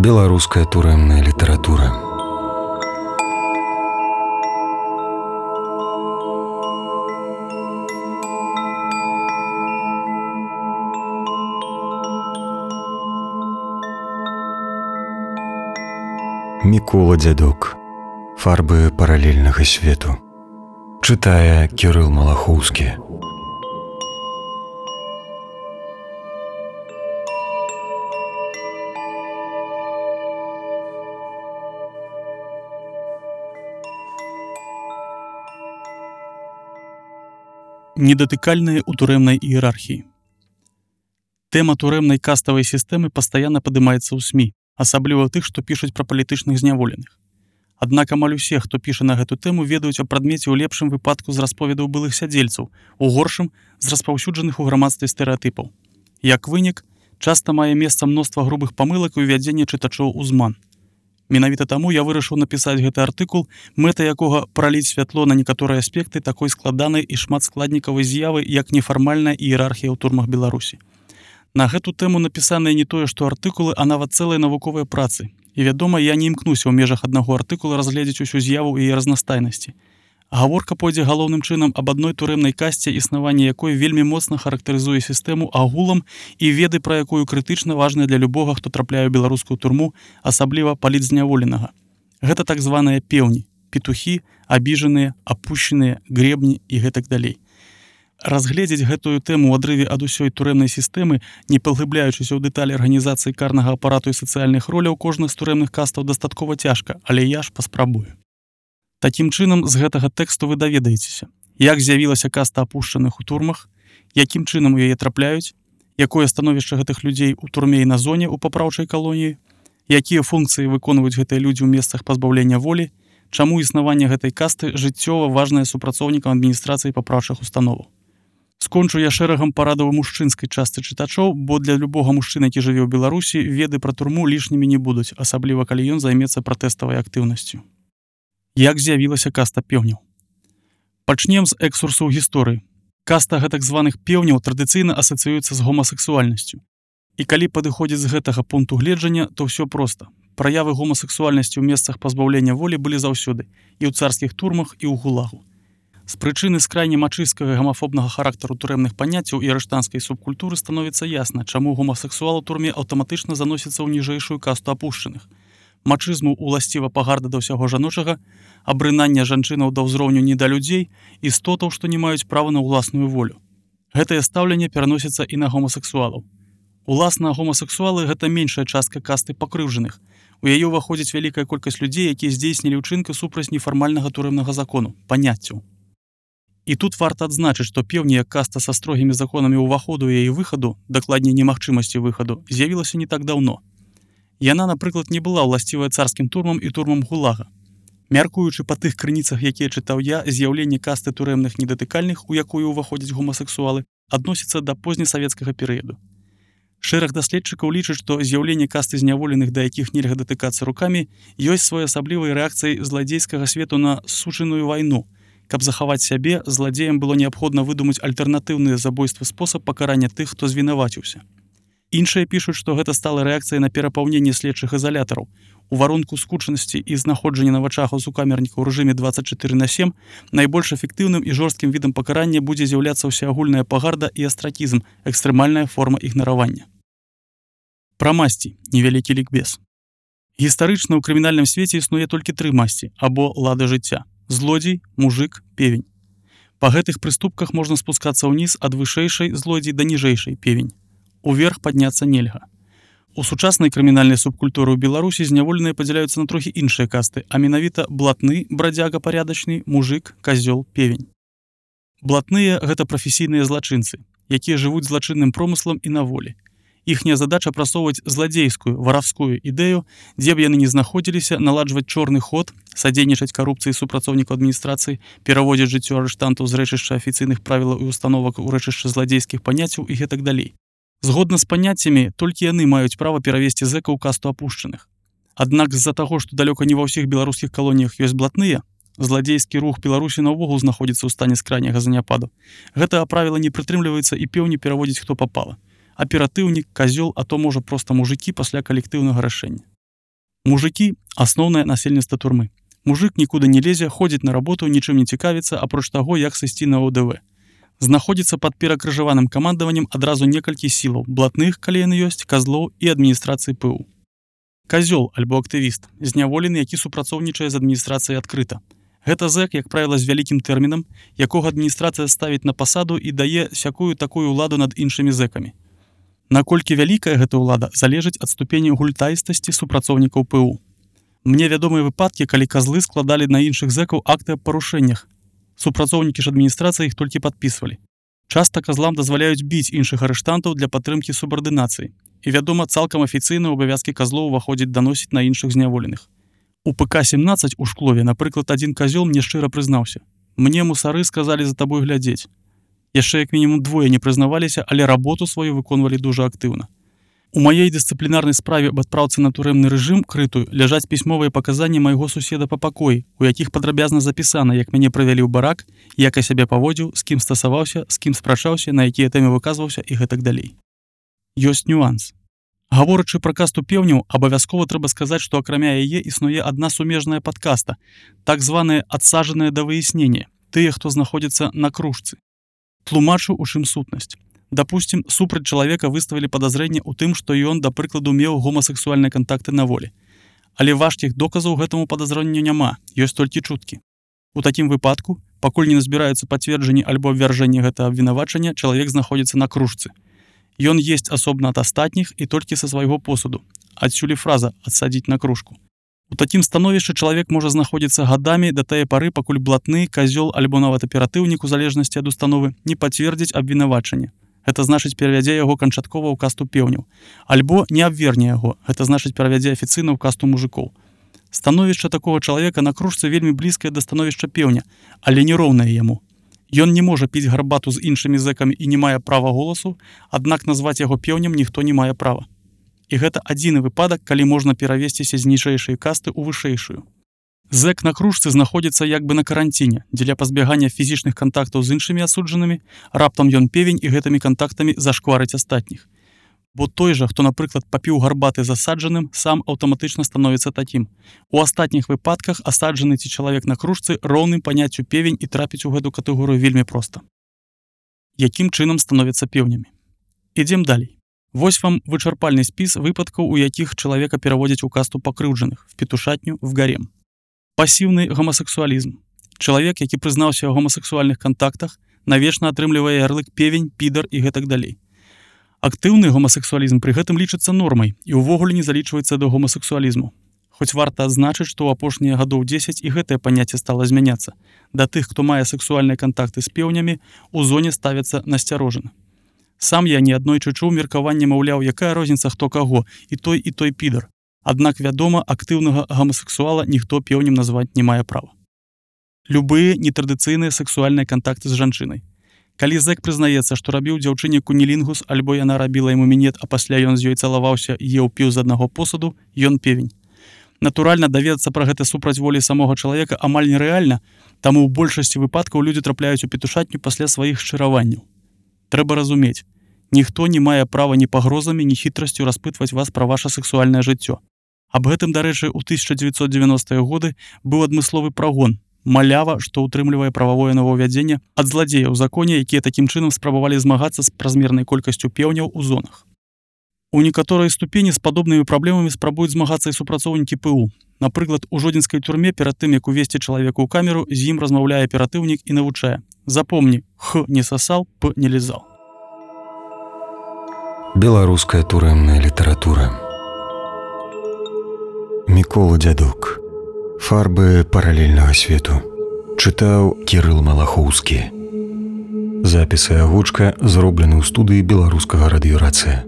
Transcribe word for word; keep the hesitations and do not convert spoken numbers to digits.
Беларуская турэмная літаратура. Мікола Дзядок. Фарбы паралельнага свету. Чытае Кірыл Малахоўскі. Недатыкальныя ў турэмнай іерархіі. Тэма турэмнай каставай сістэмы пастаянна падымаецца ў СМІ, асабліва тых, што пішуць пра палітычных зняволеных. Аднак амаль усе, хто піша на гэту тэму, ведаюць аб прадмеце ў лепшым выпадку з расповедаў былых сядзельцаў, у горшым з распаўсюджаных у грамадстве стэрэатыпаў. Як вынік, часта мае месца мноства грубых памылак і ўвядзення чытачоў у зман. Менавіта таму я вырашыў напісаць гэты артыкул, мэта якога праліць святло на некаторыя аспекты такой складанай і шматскладнікавай з'явы, як нефармальная іерархія ў турмах Беларусі. На гэту тэму напісаныя не тое, што артыкулы, а нават цэлыя навуковыя працы. І, вядома, я не імкнуся ў межах аднаго артыкула разгледзець усю з'яву і яе разнастайнасці. Гаворка пойдзе галоўным чынам аб адной турэмнай касце, існаванне якой вельмі моцна характарызуе сістэму агулам і веды, пра якую крытычна важная для любога, хто трапляе ў беларускую турму, асабліва палітзняволенага. Гэта так званыя пеўні, петухі, абіжаныя, апушчаныя, гребні і гэтак далей. Разгледзець гэтую тэму ў адрыве ад усёй турэмнай сістэмы, не паглыбляючыся ў дэталі арганізацыі карнага апарату і сацыяльных роляў кожных з турэмных кастаў дастаткова цяжка, але я ж паспрабую. Такім чынам, з гэтага тэксту вы даведаецеся, як з'явілася каста апушчаных у турмах, якім чынам у яе трапляюць, якое становішча гэтых людзей у турме і на зоне ў папраўчай калоніі, якія функцыі выконваюць гэтыя людзі ў месцах пазбаўлення волі, чаму існаванне гэтай касты жыццёва важнае супрацоўнікам адміністрацыі папраўчых установаў. Скончу я шэрагам парадаў у мужчынскай частцы чытачоў, бо для любога мужчыны, які жыве ў Беларусі, веды пра турму лішнімі не будуць, асабліва калі ён займецца пратэставай актыўнасцю. Як з'явілася каста пеўняў? Пачнем з экскурсу ў гісторыі. Каста гэтак званых пеўняў традыцыйна асацыюецца з гомасексуальнасцю. І калі падыходзіць з гэтага пункту гледжання, то ўсё проста. Праявы гомасексуальнасці ў месцах пазбаўлення волі былі заўсёды, і ў царскіх турмах, і ў гулагу. З прычыны скрайне мачысцкага і гамафобнага характару турэмных паняццяў і арыштанцкай субкультуры становіцца ясна, чаму гомасексуал у турме аўтаматычна заносіцца ў ніжэйшую касту апушчаных. Мачызму уласціва пагарда да ўсяго жаночага, абрынання жанчынаў да ўзроўню не да людзей, істотаў, што не маюць права на ўласную волю. Гэтае стаўленне пераносіцца і на гомасексуалаў. Уласна, гомасексуалы – гэта меншая частка касты пакрыўджаных. У яе ўваходзіць вялікая колькасць людзей, якія здзейснілі ўчынкі супраць нефармальнага турэмнага закону, паняццяў. І тут варта адзначыць, што пеўні як каста са строгімі законамі ўваходу і яе выхаду, дакладней немагчымасці выхаду, з'явілася не так даўно. Яна, напрыклад, не была ўласцівая царскім турмам і турмам гулага. Мяркуючы па тых крыніцах, якія чытаў я, з'яўленне касты турэмных недатыкальных, у якую ўваходзяць гомасексуалы, адносіцца да познясавецкага перыяду. Шэраг даследчыкаў лічаць, што з'яўленне касты зняволеных, да якіх нельга датыкацца рукамі, ёсць своеасаблівай рэакцыяй зладзейскага свету на сучыную вайну. Каб захаваць сябе, зладзеям было неабходна выдумаць альтэрнатыўныя забойствы спосаб пакарання тых, хто звінаваціўся. Іншыя пішуць, што гэта стала рэакцыяй на перапаўненне следчых ізалятараў. У варунку скучанасці і знаходжання на вачах у сукамерніка ў рэжыме дваццаць чатыры на сем найбольш эфектыўным і жорсткім відам пакарання будзе з'яўляцца ўсеагульная пагарда і астракізм, экстрэмальная форма ігнаравання. Пра масці, невялікі лікбез. Гістарычна ў крымінальным свеце існуе толькі тры масці, або лады жыцця: злодзей, мужык, певень. Па гэтых прыступках можна спускацца ўніз ад вышэйшай злодзей да ніжэйшай певень. Уверх падняцца нельга. У сучаснай крымінальнай субкультуры ў Беларусі зняволеныя падзяляюцца на трохі іншыя касты, а менавіта блатны, брадзяга парядачны, мужык, казёл, певень. Блатныя – гэта прафесійныя злачынцы, якія жывуць злачынным промыслам і на волі. Іхняя задача прасоўваць зладзейскую, варавскую ідэю, дзе б яны не знаходзіліся, наладжваць чорны ход, садзейнічаць карупцыі супрацоўнікаў адміністрацыі, пераводзіць жыццё арыштантаў з рэчышча афіцыйных правілаў і установак у рэчышча зладзейскіх паняццяў і гэтак далей. Згодна з паняццямі, толькі яны маюць права перавесці зэка ў касту апушчаных. Аднак з-за таго, што далёка не ва ўсіх беларускіх калоніях ёсць блатныя, зладзейскі рух Беларусі наогул знаходзіцца ў стане скрайняга заняпаду. Гэтага правіла не прытрымліваецца і пеўні пераводзіць хто папала. Аператыўнік, казёл, а то можа проста мужыкі пасля калектыўнага рашэння. Мужики – асноўнае насельніцтва турмы. Мужик нікуды не лезе, ходзіць на работу, нічым не цікавіцца, апроч таго, як сысці на ОДВ. Знаходзіцца пад перакрыжаваным камандаваннем адразу некалькі сілаў, блатных, калі яны ёсць, казлоў і адміністрацыі ПУ. Казёл альбо актывіст, зняволены, які супрацоўнічае з адміністрацыяй адкрыта. Гэта зэк, як правіла, з вялікім тэрмінам, якога адміністрацыя ставіць на пасаду і дае сякую-такую ўладу над іншымі зэкамі. Наколькі вялікая гэта ўлада, залежыць ад ступені гультаістасці супрацоўнікаў ПУ. Мне вядомыя выпадкі, калі казлы складалі на іншых зэкаў акты аб парушэннях. Супрацоўнікі ж адміністрацыі іх толькі падпісвалі. Часта казлам дазваляюць біць іншых арыштантаў для падтрымкі субардынацыі. І, вядома, цалкам афіцыйна ў абавязкі казлоў уваходзіць даносіць на іншых зняволеных. У ПК сямнаццаць у Шклове, напрыклад, адзін казёл мне шчыра прызнаўся. Мне мусары сказалі за табой глядзець. Яшчэ як мінімум двое не прызнаваліся, але работу сваю выконвалі дужа актыўна. У маёй дысцыплінарнай справе аб адпраўцы на турэмны рэжым крытую ляжаць пісьмовыя паказанні майго суседа па пакоі, у якіх падрабязна запісана, як мяне правялі ў барак, як я сябе паводзіў, з кім стасаваўся, з кім спрачаўся, на якія тэмы выказваўся і гэтак далей. Ёсць нюанс. Гаворачы пра касту пеўняў, абавязкова трэба сказаць, што акрамя яе існуе адна сумежная падкаста, так званыя адсаджаныя да выяснення, тыя, хто знаходзіцца на кружцы. Тлумачу, у чым сутнасць. Дапусцім, супраць чалавека выставілі падазрэнне ў тым, што ён, да прыкладу, меў гомасексуальныя кантакты на волі. Але важкіх доказаў гэтаму падазрэнню няма, ёсць толькі чуткі. У такім выпадку, пакуль не назбіраюцца пацверджанні альбо абвяржэнні гэтага абвінавачання, чалавек знаходзіцца на кружцы. Ён есць асобна ад астатніх і толькі са свайго посуду. Адсюль і фраза «адсадзіць на кружку». У такім становішчы чалавек можа знаходзіцца гадамі да тае пары, пакуль блатны, казёл альбо нават аператыўнік у залежнасці ад установы не пацвердзіць абвінавачанне. Гэта значыць перавядзе яго канчаткова ў касту пеўняў. Альбо не абверне яго, гэта значыць перавядзе афіцыйна ў касту мужикоў. Становішча такога чалавека на кружцы вельмі блізкае да становішча пеўня, але не роўнае яму. Ён не можа піць гарбату з іншымі зэкамі і не мае права голасу, аднак назваць яго пеўнем ніхто не мае права. І гэта адзіны выпадак, калі можна перавесціся з ніжэйшай касты ў вышэйшую. Зэк на кружцы знаходзіцца як бы на каранціне, дзеля пазбягання фізічных кантактаў з іншымі асуджанымі, раптам ён певень і гэтымі кантактамі зашкварыць астатніх. Бо той жа, хто, напрыклад, папіў гарбаты з асаджаным, сам аўтаматычна становіцца такім. У астатніх выпадках асаджаны ці чалавек на кружцы роўным паняццю певень і трапіць у гэту катэгорыю вельмі проста. Якім чынам становяцца пеўнямі? Ідзем далей. Вось вам вычарпальны спіс выпадкаў, у якіх чалавека пераводзяць у касту пакрыўджаных, в петушатню, в гарем. Пасіўны гомасексуалізм. Чалавек, які прызнаўся ў гомасексуальных кантактах, навечна атрымлівае ярлык певень, підар і гэтак далей. Актыўны гомасексуалізм пры гэтым лічыцца нормай і ўвогуле не залічваецца да гомасексуалізму. Хоць варта адзначыць, што ў апошнія гадоў дзесяць і гэтае паняцце стала змяняцца. Да тых, хто мае сексуальныя кантакты з пеўнямі, у зоне ставяцца насцярожана. Сам я неаднойчы чуў меркаванне, маўляў, якая розніца хто каго, і той, і той підар. Аднак, вядома, актыўнага гомасексуала ніхто пеўнем назваць не мае права. Любыя нетрадыцыйныя сексуальныя кантакты з жанчынай. Калі зэк прызнаецца, што рабіў дзяўчыне кунілінгус, альбо яна рабіла яму мінет, а пасля ён з ёй цалаваўся і еў піў з аднаго посуду, ён певень. Натуральна, даведацца пра гэта супраць волі самога чалавека амаль нерэальна, таму ў большасці выпадкаў людзі трапляюць у петушатню пасля сваіх шчыраванняў. Трэба разумець, ніхто не мае права ні пагрозамі, ні хітрасцю распытваць вас пра ваша сексуальнае жыццё. Аб гэтым, дарэчы, у тысяча дзевяцьсот дзевяностыя годы быў адмысловы прагон, малява, што ўтрымлівае прававое новаўвядзенне ад зладзеяў у законе, якія такім чынам спрабавалі змагацца з празмернай колькасцю пеўняў у зонах. У некаторай ступені з падобнымі праблемамі спрабуюць змагацца і супрацоўнікі ПУ. Напрыклад, у жодзінскай турме перад тым, як увесці чалавека ў камеру, з ім размаўляе аператыўнік і навучае. Запомні, х не сасал, п не лізал. Беларуская турэмная літаратура. Мікола Дзядок. Фарбы паралельнага свету. Чытаў Кірыл Малахоўскі. Запіс і агучка зроблены ў студыі беларускага радыёрацыя.